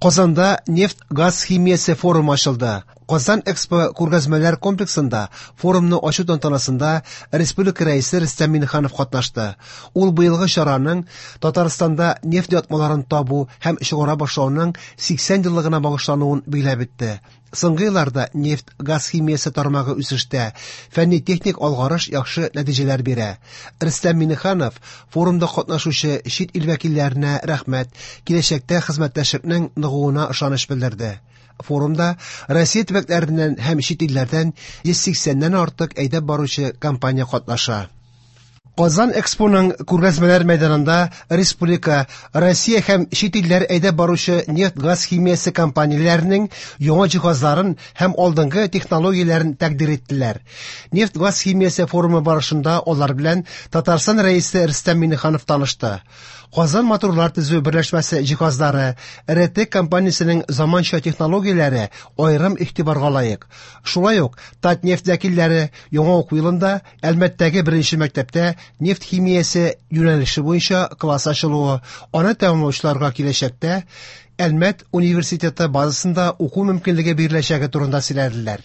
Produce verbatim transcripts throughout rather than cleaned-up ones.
Казанда нефть-газ химиясе форумы ачылды. Казан Экспо күргәзмәләр комплексында форумны ачу тантанасында республика Рәисе Рөстәм Миңнеханов катнашты. Ул быелгы чараның Татарстанда нефть ятмаларын табу һәм чыгара башлауның сиксән еллыгына багышлануын билгеләп үтте. Соңгы елларда нефть-газ химиясе тармагы үсештә, фәнни-техник алгарыш яхшы нәтиҗәләр бирә. Рөстәм Миңнеханов форумда катнашучы чит ил вәкилләренә рәхмәт, киләчәктә хезмәттәшлекнең ныгуына ышаныч белдерде. Форумда Россия төбәкләреннән һәм чит илләрдән йөз сиксәннән артык әйдәп баручы компания катнаша. Казан Экспоның күргәзмәләр мәйданында республика, Россия һәм чит илләр әйдәп баручы нефть-газ химиясе компанияләренең яңа җиһазларын һәм алдынгы технологияләрен тәкъдир иттеләр. Нефть-газ химиясе форумы барышында алар белән Татарстан Рәисе Рөстәм Миңнеханов танышты. Казан моторлар төзү берләшмәсе җиһазлары, эр тэ компаниясенең заманча технологияләре аерым игътибарга лаек. Шулай ук Татнефть вәкилләре яңа уку елында Әлмәттәге беренче мәктәптә нефть химиясе юнәлеше буенча класс ачылуы, аны тәмамлаучыларга киләчәктә Әлмәт университеты базасында уку мөмкинлеге биреләчәге турында сөйләделәр.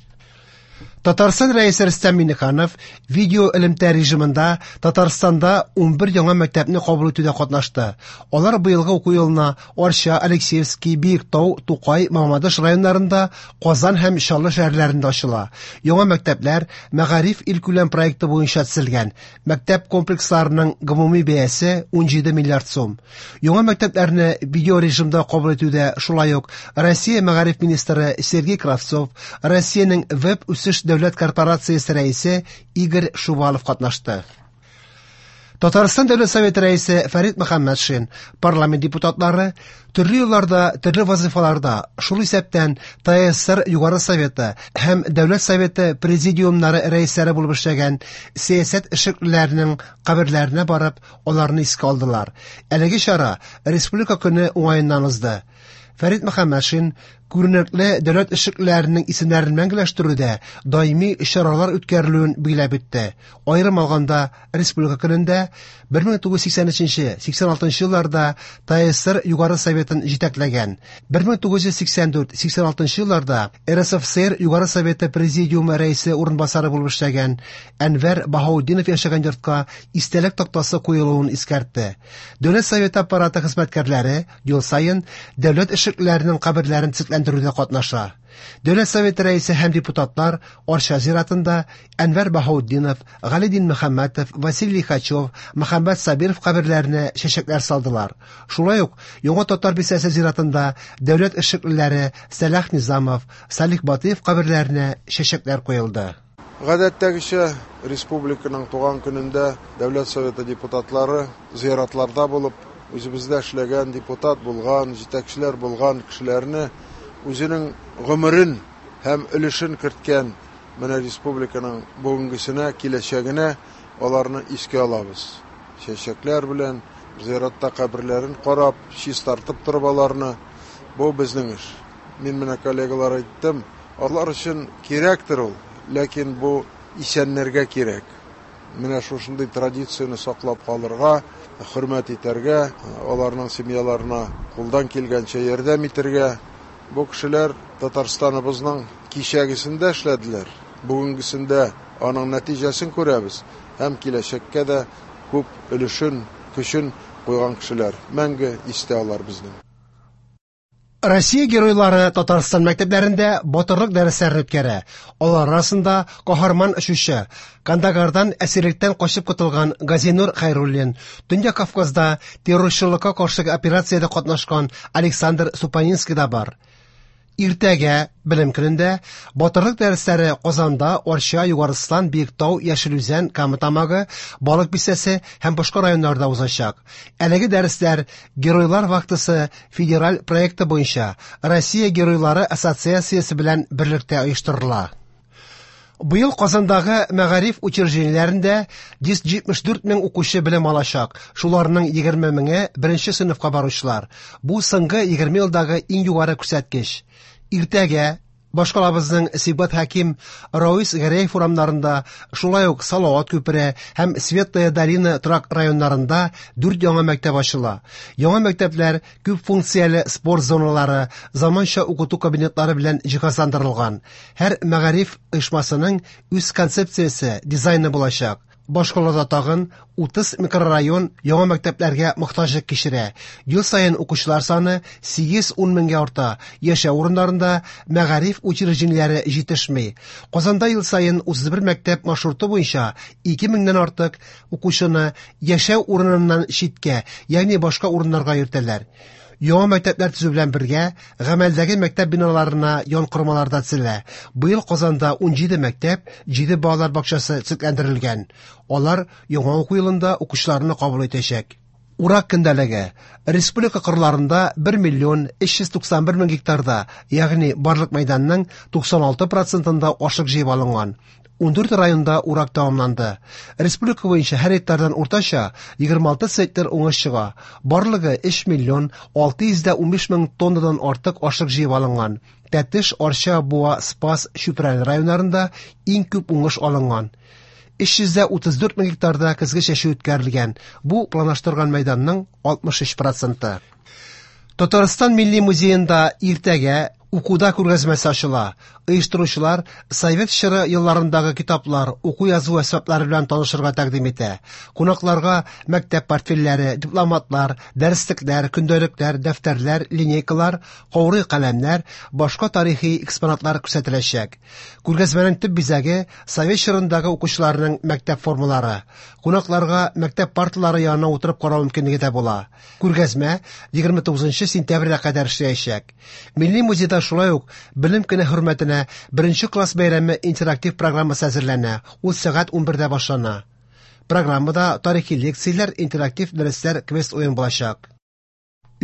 Татарстан Рәисе Рөстәм Миңнеханов видео элемтә режимында Татарстанда унбер яңа мәктәпне кабул итүдә катнашты. Алар быелгы уку елына Арча, Алексеевский, Биектау, Тукай, Мамадыш районнарында, Казан һәм Чаллы шәһәрләрендә ачыла. Яңа мәктәпләр Мәгариф илкүләм проекты буенча төзелгән. Мәктәп комплексларының гомуми бәясе унҗиде миллиард сум. Яңа мәктәпләрне видео режимда кабул итүдә шулай ук Россия мәгариф министры Сергей Кравцов, Россиянең веб үсеш дәүләт корпорациясе рәисе Игорь Шувалов катнашты. Татарстан Дәүләт Советы рәисе Фәрит Мөхәммәтшин, парламент депутатлары төрле елларда, төрле вазифаларда, шул исәптән тэ эс эс эр Югары Советы һәм Дәүләт Советы президиумнары рәисләре булып эшләгән сәясәт эшлеклеләренең каберләренә барып, аларны искә алдылар. Әлеге чара Республика көне уңаеннан узды. Фәрит Мөхәммәтшин күренекле дәүләт эшлеклеләренең исемнәрен мәңгеләштерүдә даими чаралар үткәрелүен билгеләп үтте. Аерым алганда, Республика көнендә бер мең тугыз йөз сиксән өченче, сиксән алтынчы елларда тэ эс эс эр Югары Советын җитәкләгән, бер мең тугыз йөз сиксән дүрт, сиксән алтынчы елларда эр эс эф эс эр Югары Советы Президиумы рәисе урынбасары булып эшләгән Әнвәр Баһаутдинов яшәгән йортка истәлек тактасы куелуын искәртте. Дәүләт Советы аппараты хезмәткәрләре ел саен дәүләт эшлеклеләренең каберләрен төзекләндерүдә катнаша. Дәүләт Советы рәисе һәм депутатлар Арча зиратында Әнвәр Баһаутдинов, Гали Динмөхәммәтов, Василий Лихачев, Мөхәммәт Сабиров каберләренә чәчәкләр салдылар. Шулай ук Яңа Татар бистәсе зиратында дәүләт эшлеклеләре Сәлах Низамов, Салих Батыев каберләренә чәчәкләр куелды. Гадәттәгечә республиканың туган көнендә Дәүләт Советы депутатлары зиратларда булып, үзебездә эшләгән депутат булган, җитәкчеләр булган кешеләрне үзенең гомерен һәм өлешен керткән менә республиканың бүгенгесенә, киләчәгенә аларны искә алабыз. Чәчәкләр белән зиратта каберләрен карап, чистартып торып аларны. Бу безнең эш. Мин менә коллегалар әйттем, алар өчен кирәктер ул, ләкин бу исәннәргә кирәк. Менә шушындый традицияне саклап калырга, хөрмәт итәргә, аларның семьяларына кулдан килгәнчә ярдәм итәргә. Бу кешеләр Татарстаныбызның кичәгесендә эшләделәр. Бүгенгесендә аның нәтиҗәсен күрәбез һәм киләчәккә дә күп өлешен, көчен куйган кешеләр. Мәңге истә алар безнең. Россия геройлары Татарстан мәктәпләрендә батырлык дәресләрен үткәрә. Алар арасында каһарман очучы, Кандагардан әсирлектән качып котылган Газинур Хәйруллин, Төньяк Кавказда террорчылыкка каршы операциядә катнашкан Александр Супанинский да бар. Иртәгә белем көнендә батырлык дәресләре Казанда, Арча, Югарыслан, Биектау, Яшел Үзән, Кама Тамагы, Балык Бистәсе һәм башка районнарда узачак. Әлеге дәресләр Геройлар вахтасы федераль проекты буенча Россия Геройлары ассоциациясе белән берлектә оештырыла. Быел Казандагы мәгариф учреждениеләрендә йөз җитмеш дүрт мең укучы белем алачак. Шуларның егерме меңе беренче сыйныфка баручылар. Бу соңгы егерме елдагы иң югары күрсәткеч. Иртәгә Башкалабызның Сибгат Хәким, Равис Гәрәев урамнарында, шулай ук Салават күпере һәм Светлая долина торак районнарында дүрт яңа мәктәп ачыла. Яңа мәктәпләр күп функцияле спорт зоналары, заманча укыту кабинетлары белән җиһазландырылган. Һәр мәгариф оешмасының үз концепциясе, дизайны булачак. Башкалада тагын утыз микрорайон яңа мәктәпләргә мохтаҗлык кичерә. Ел саен укучылар саны сигез-ун меңгә арта. Яшәү урыннарында мәгариф учреждениеләре җитешми. Казанда ел саен утыз бер мәктәп маршруты буенча ике меңнән артык укучыны яшәү урыныннан читкә, ягъни башка урыннарга йөртәләр. Яңа мәктәпләр төзү белән бергә гамәлдәге мәктәп биналарына янкормалар да төзелә. Быел Казанда ун җиде мәктәп, җиде балалар бакчасы төзекләндерелгән. Алар яңа уку елында укучыларны кабул итәчәк. Урак көндәлеге. Республика кырларында бер миллион өч йөз туксан бер мең гектарда, ягъни барлык мәйданның туксан алты процентында ашлык җыеп алынган. Ун дүрт районда урак тәмамланды. Республика буенча һәр гектардан уртача егерме алты центнер уңыш чыга. Барлыгы өч миллион алты йөз дә унбиш мең тоннадан артык ашлык җыеп алынган. Тәтеш, Арча, Буа, Спас, Чүпрәле районнарында иң күп уңыш алынган. Өч йөз дә утыз дүрт мең гектарда көзге чәчү үткәрелгән. Бу планлаштырган мәйданның алтмыш өч проценты. Татарстан Милли музеенда иртәгә укуда күргәзмәсе ачыла. Оештыручылар совет чоры елларындагы китаплар, уку-язу әсбаплары белән танышырга тәкъдим итә. Кунакларга мәктәп портфельләре, дипломатлар, дәреслекләр, көндәлекләр, дәфтәрләр, линейкалар, каурый каләмнәр, башка тарихи экспонатлар күрсәтеләчәк. Күргәзмәнең төп бизәге совет чорындагы укучыларның мәктәп формалары. Кунакларга мәктәп парталары янына утырып карау мөмкинлеге дә була. Күргәзмә егерме тугызынчы сентябрьгә кадәр эшләячәк. Милли музейда шулай ук белем көне хөрмәтенә беренче класс бәйрәме интерактив программасы әзерләнә. Ул сәгать унбердә башлана. Программада тарихи лекцияләр, интерактив дәресләр, квест уен булачак.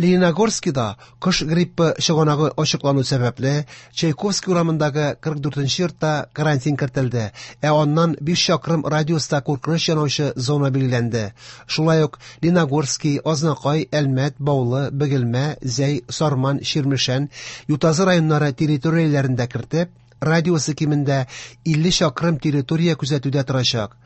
Лениногорскида кош гриппы чыганагы ачыклану сәбәпле Чайковский урамындагы кырык дүртенче йортта карантин кертелде, ә аннан биш чакрым радиуста куркыныч янаучы зона билгеләнде. Шулай ук Лениногорский, Азнакай, Әлмәт, Баулы, Бөгелмә, Зәй, Сарман, Чирмешән, Ютазы районнары территорияләрендә кертеп, радиусы кимендә илле чакрым территория күзәтүдә торачак.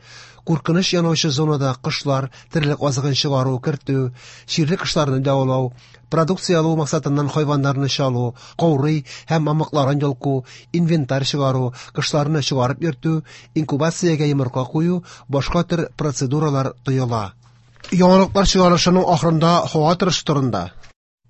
Куркыныч янаучы зонада кошлар, терлек азыгын чыгару, кертү, чирле кошларны дәвалау, продукция алу максатыннан хайваннарны чалу, каурый һәм мамыкларын йолку, инвентарь чыгару, кошларны чыгарып йөртү, инкубациягә йомырка кую, башка төр процедуралар тыела. Яңалыклар чыгарылышының ахырында һава торышы турында.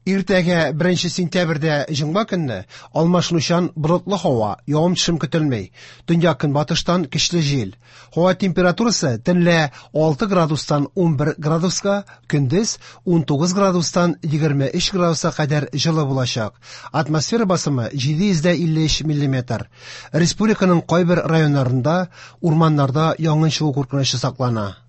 Иртәгә беренче сентябрьдә җомга көнне алмашынучан болытлы һава, явым-төшем көтелми. Төньяк көнбатыштан көчле җил. Һава температурасы төнлә алты градустан унбер градуска, көндез унтугыз градустан егерме өч градуска кадәр җылы булачак. Атмосфера басымы җиде йөз дә илле өч миллиметр. Республиканың кайбер районнарында урманнарда янгын чыгу куркынычы саклана.